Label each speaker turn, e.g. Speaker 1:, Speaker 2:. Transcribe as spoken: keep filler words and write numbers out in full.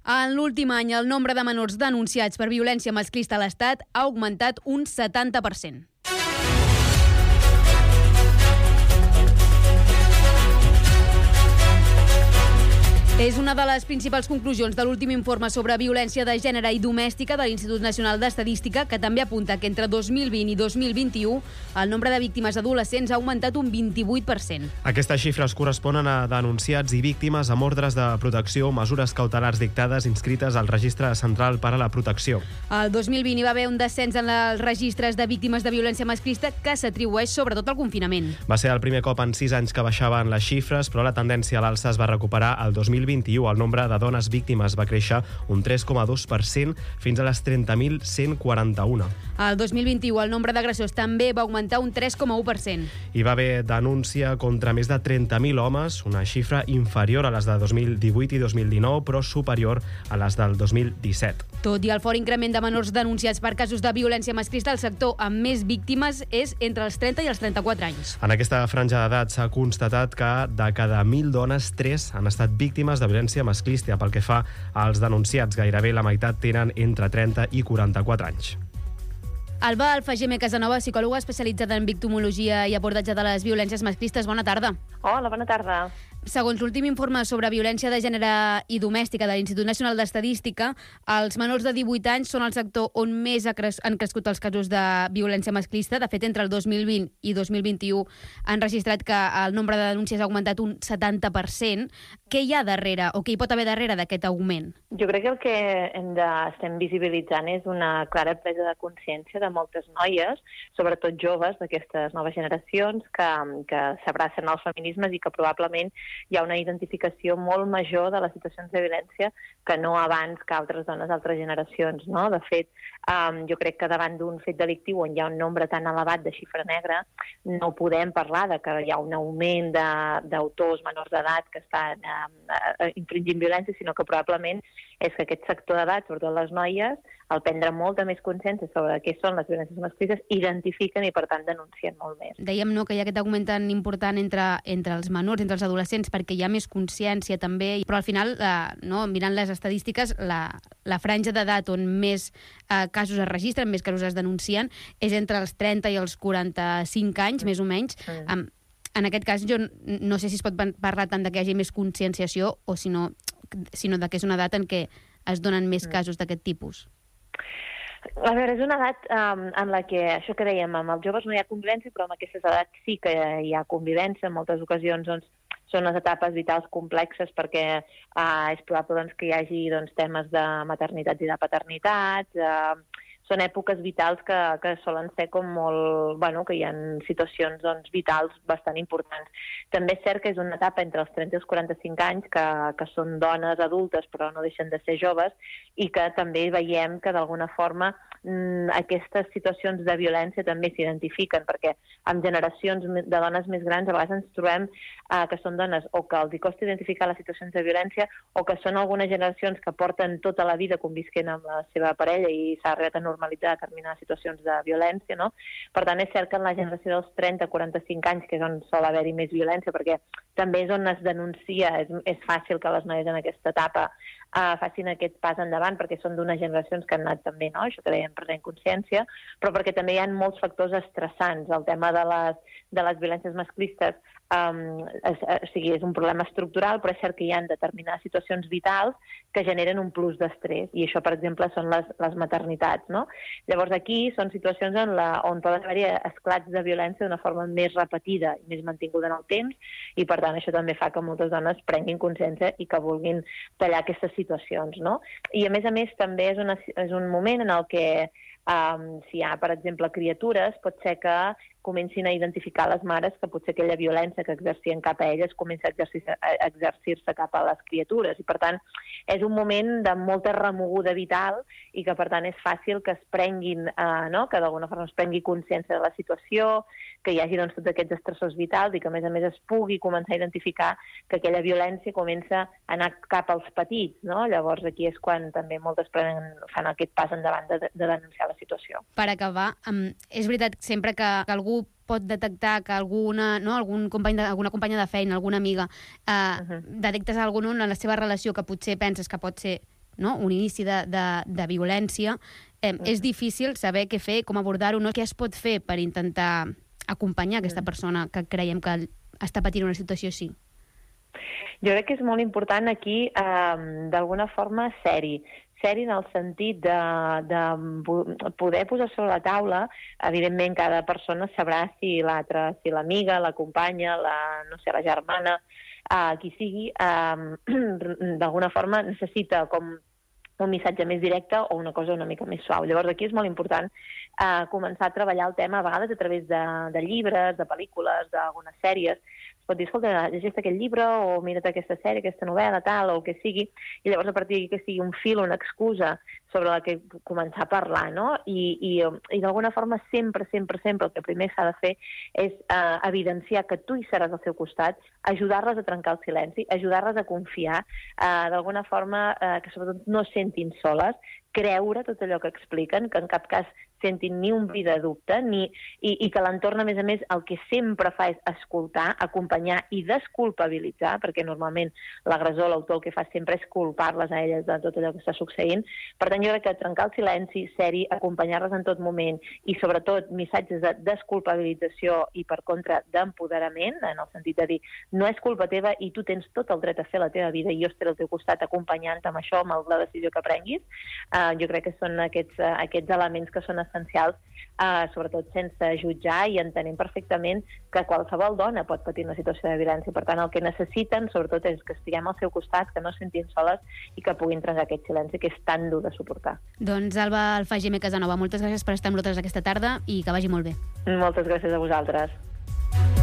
Speaker 1: En l'últim any, el nombre de menors denunciats per violència masclista a l'Estat ha augmentat un setanta per cent. És una de les principals conclusions de l'últim informe sobre violència de gènere i domèstica de l'Institut Nacional d'Estadística, que també apunta que entre dos mil vint i dos mil vint-i-u el nombre de víctimes adolescents ha augmentat un vint-i-vuit per cent.
Speaker 2: Aquestes xifres corresponen a denunciats i víctimes amb ordres de protecció o mesures cautelars dictades inscrites al Registre Central per a la Protecció.
Speaker 1: El dos mil vint hi va haver un descens en els registres de víctimes de violència masclista que s'atribueix sobretot al confinament.
Speaker 2: Va ser el primer cop en sis anys que baixaven les xifres, però la tendència a l'alça es va recuperar el dos mil vint-i-u. El nombre de dones víctimes va créixer un tres coma dos per cent fins a les trenta mil cent quaranta-un.
Speaker 1: El dos mil vint-i-u el nombre d'agressors també va augmentar un tres coma u per cent.
Speaker 2: Hi va haver denúncia contra més de trenta mil homes, una xifra inferior a les de dos mil divuit i dos mil dinou, però superior a les del dos mil disset.
Speaker 1: Tot i el fort increment de menors denunciats per casos de violència masclista, el sector amb més víctimes és entre els trenta i els trenta-quatre anys.
Speaker 2: En aquesta franja d'edat s'ha constatat que de cada mil dones, tres han estat víctimes de violència masclista. Pel que fa als denunciats, gairebé la meitat tenen entre trenta i quaranta-quatre anys.
Speaker 1: Alba Alfageme Casanova, psicòloga especialitzada en victimologia i abordatge de les violències masclistes. Bona tarda.
Speaker 3: Hola, bona tarda.
Speaker 1: Segons l'últim informe sobre violència de gènere i domèstica de l'Institut Nacional d'Estadística, els menors de divuit anys són el sector on més han crescut els casos de violència masclista. De fet, entre el dos mil vint i dos mil vint-i-u han registrat que el nombre de denúncies ha augmentat un setanta per cent. Què hi ha darrere, o què hi pot haver darrere d'aquest augment?
Speaker 3: Jo crec que el que hem de, estem visibilitzant és una clara presa de consciència de moltes noies, sobretot joves d'aquestes noves generacions, que, que s'abracen als feminismes i que probablement hi ha una identificació molt major de les situacions de violència que no abans que altres dones d'altres generacions, no? De fet, um, jo crec que davant d'un fet delictiu on hi ha un nombre tan elevat de xifra negra, no podem parlar de que hi ha un augment d'autors menors d'edat que estan um, infringint violència, sinó que probablement és que aquest sector d'edat, sobretot les noies, al prendre molta més consciència sobre què són les violències masclistes, identifiquen i, per tant, denuncien molt més.
Speaker 1: Dèiem no, que hi ha aquest augment tan important entre, entre els menors, entre els adolescents, perquè hi ha més consciència també, però al final, eh, no, mirant les estadístiques, la, la franja d'edat on més eh, casos es registren, més casos es denuncien, és entre els trenta i els quaranta-cinc anys, mm. més o menys. Mm. Um, en aquest cas, jo no sé si es pot parlar tant de que hi hagi més conscienciació o si no, sinó de que és una edat en què es donen més casos d'aquest tipus.
Speaker 3: A veure, és una edat um, en la que, això que dèiem, amb els joves no hi ha convivència, però amb aquestes edats sí que hi ha convivència. En moltes ocasions doncs, són les etapes vitals complexes perquè uh, és probable doncs, que hi hagi doncs, temes de maternitats i de paternitats, uh, són èpoques vitals que, que solen ser com molt... Bueno, que hi ha situacions doncs, vitals bastant importants. També és cert que és una etapa entre els trenta i els quaranta-cinc anys, que, que són dones adultes però no deixen de ser joves, i que també veiem que d'alguna forma mmm, aquestes situacions de violència també s'identifiquen, perquè amb generacions de dones més grans a vegades ens trobem eh, que són dones o que els costa identificar les situacions de violència o que són algunes generacions que porten tota la vida convisquent amb la seva parella i s'ha arribat a normalitzar determinades situacions de violència, no? Per tant, és cert que en la generació dels trenta a quaranta-cinc anys, que és on sol haver-hi més violència, perquè també és on es denuncia, és, és fàcil que les noies en aquesta etapa uh, facin aquest pas endavant, perquè són d'unes generacions que han anat també, no? Això que dèiem, prenent consciència, però perquè també hi ha molts factors estressants. El tema de les, de les violències masclistes um, és, o sigui, és un problema estructural, però és cert que hi ha determinades situacions vitals que generen un plus d'estrès, i això, per exemple, són les, les maternitats, no? Llavors, aquí són situacions en la, on poden haver-hi esclats de violència d'una forma més repetida i més mantinguda en el temps, i per tant això també fa que moltes dones prenguin consciència i que vulguin tallar aquestes situacions, no? I a més a més també és, una, és un moment en el que Um, si hi ha, per exemple, criatures, pot ser que comencin a identificar les mares que potser aquella violència que exercien cap a elles comença a exercir-se a exercir-se cap a les criatures. I, per tant, és un moment de molta remoguda vital i que, per tant, és fàcil que es prenguin, uh, no? que d'alguna forma es prengui consciència de la situació, que hi hagi doncs, tots aquests estressors vitals i que, a més a més, es pugui començar a identificar que aquella violència comença a anar cap als petits. No? Llavors, aquí és quan també moltes prenen, fan aquest pas endavant de, de denunciar la situació.
Speaker 1: Per acabar, um, és veritat sempre que, que algú pot detectar que alguna, no, algun company de, alguna companya de feina, alguna amiga, eh, uh-huh. detectes algun en la seva relació que potser penses que pot ser no? un inici de, de, de violència, eh, és difícil saber què fer, com abordar-ho, no? Què es pot fer per intentar acompanyar aquesta persona que creiem que està patint una situació així?
Speaker 3: Jo crec que és molt important aquí, eh, d'alguna forma, ser-hi. Ser-hi en el sentit de, de poder posar sobre la taula. Evidentment, cada persona sabrà si l'altra, si l'amiga, la companya, la, no sé, la germana, eh, qui sigui, eh, d'alguna forma necessita com un missatge més directe o una cosa una mica més suau. Llavors, aquí és molt important eh, començar a treballar el tema, a vegades a través de, de llibres, de pel·lícules, d'algunes sèries. Es pot dir, escolta, llegeix aquest llibre o mira't aquesta sèrie, aquesta novel·la, tal, o el que sigui, i llavors a partir d'aquí que sigui un fil, una excusa sobre la que començar a parlar, no? I, i, i d'alguna forma sempre, sempre, sempre el que primer s'ha de fer és eh, evidenciar que tu hi seràs al seu costat, ajudar-les a trencar el silenci, ajudar-les a confiar, eh, d'alguna forma eh, que sobretot no sentin soles, creure tot allò que expliquen, que en cap cas sentin ni un bri de dubte, ni, i, i que l'entorn, a més a més, el que sempre fa és escoltar, acompanyar i desculpabilitzar, perquè normalment l'agressor, l'autor, el que fa sempre és culpar-les a elles de tot allò que està succeint. Per tant, jo crec que trencar el silenci, ser-hi, acompanyar-les en tot moment i, sobretot, missatges de desculpabilització i, per contra, d'empoderament, en el sentit de dir no és culpa teva i tu tens tot el dret a fer la teva vida i jo estaré al teu costat acompanyant-te amb això, amb la decisió que prenguis. Uh, jo crec que són aquests, uh, aquests elements que són essencials, uh, sobretot sense jutjar i entenent perfectament que qualsevol dona pot patir una situació de violència. Per tant, el que necessiten, sobretot, és que estiguem al seu costat, que no es sentin soles i que puguin trencar aquest silenci que és tan dur de suportar.
Speaker 1: Doncs, Alba Alfageme Casanova, moltes gràcies per estar amb nosaltres aquesta tarda i que vagi molt bé.
Speaker 3: Moltes gràcies a vosaltres.